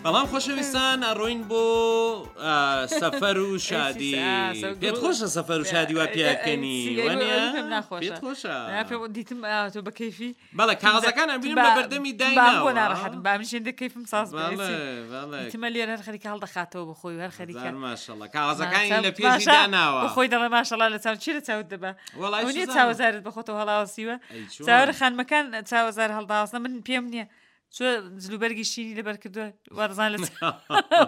بەڵام خۆشەویستان ئەڕۆین بۆ سەفەر و شادی پێت خۆشە سەفەر و شادی وا پیاکەنی پێت خۆشە دیتم تۆ بە کەیفی بەڵێ کاغەزەکان ئەبینم لە بەردەمی دایناوە بۆ ناڕەحەتم با منیش هێندە کەیفم ساز بێ دیتمە لێرە هەر خەریکە هەڵدەخاتەوە بۆ خۆی و هەر خەریکە ماشەڵڵا کاغەزەکانی لە پێشی داناوە بۆ خۆی دەڵێ ماشەڵڵا لە چاو چی لە چاوت دەبا وەڵای نییە چاوەزارت بە خۆتەوە هەڵاوەسیوە چاوەرە خانمەکان چاوەزار هەڵداوەسنە من پێم نییە چۆ جلوبەرگی شینی لەبەر کردووە وەرزان لە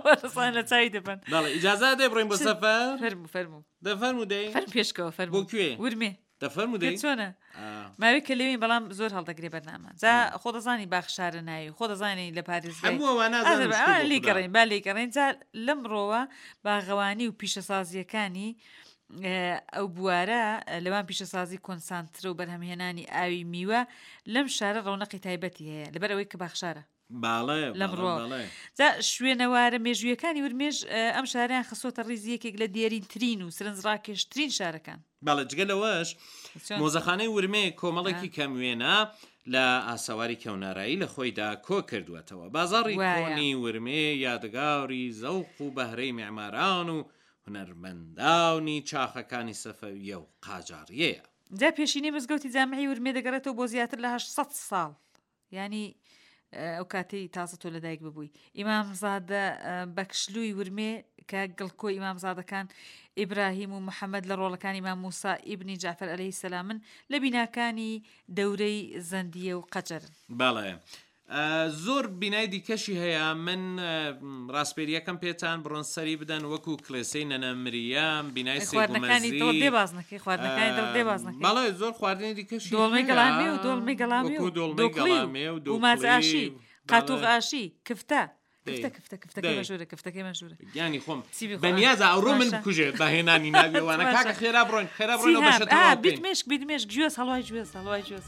وەرزان لە چاوی دەبەن بەڵێ ئیجازە دەی بڕۆین بۆ سەفەر فەرموو فەرموو دەفەرموو دەی فەرموو پێشکەوە فەرموو بۆ کوێ ورمێ دەفەرموو دەی چۆنە ماوەی کە لێوین بەڵام زۆر هەڵدەگرێ بەرنامە جا خۆ دەزانی باخشارە ناوی خۆ دەزانی لە پارێزگای هەموو ئەوانە ئازانم شکور بۆ خودا. لێگەڕێن با لێگەڕێن جا لەمڕۆوە باغەوانی و پیشەسازیەکانی ئەو بوارە لەوان پیشەسازی کۆنسانترە و بەرهەمهێنانی ئاوی میوە لەم شارە ڕەونەقی تایبەتی هەیە لەبەر ئەوەی کە باخشارە باڵێ لەم ڕۆ جا شوێنەوارە مێژوویەکانی ورمێش ئەم شاریان خستۆتە ڕیزی یەکێک لە دێرینترین و سەرنجڕاکێشترین شارەکان. بەڵێ جگە لەوەش مۆزەخانەی ورمێ کۆمەڵێکی کەم وێنە لە ئاسەواری کەونارایی لە خۆیدا کۆ کردووەتەوە. بازاڕی کۆنی ورمێ یادگاری زەوق و بەهرەی میعماران و هونەرمەندانی چاخەکانی سەفەوییە و قاجاڕیەیە. جا پێشینەی مزگەوتی جامعی ورمێ دەگەڕێتەوە بۆ زیاتر لە 800 ساڵ. یانی ئەو کاتەی تازە تۆ لەدایک ببووی ئیمامزادە بەکشلووی ورمێ کە گڵکۆی ئیمامزادەکان ئیبراهیم و محەممەد لە ڕۆڵەکانی مام موسا ئیبنی جعفر عەلەیهی سەلامن لە بیناکانی دەورەی زەندیە و قەجەرن. بەڵێ زۆر بینای دیکەشی هەیە من ڕاسپێریەکەم پێتان بڕۆن سەری بدەن وەکو کلێسەی نەنە مریەم بینای خواردنەکانی دڵ دێ باز نەکەی خواردنەکانی دڵ دێ باز نەکەی بەڵێ زۆر خواردنی دیکەشی دۆڵمەی گەڵامێ و دۆڵمەی گەڵامێ و دۆڵمەی گەڵامێ و و ماز ئاشی قاتوغ ئاشی کفتە کفتە کفتە کفتەکەی مەشهورە کفتەکەی مەشهورە گیانی خۆم بەنیازە ئەوڕۆ من بکوژێت بە هێنانی ناوی ئەوانە کاکە خێرا بڕۆین خێرا بڕۆین ئەو بەشە تەواو بکەین. بیت مێشک بیت مێشک گوێز هەڵوای گوێز هەڵوای گوێز.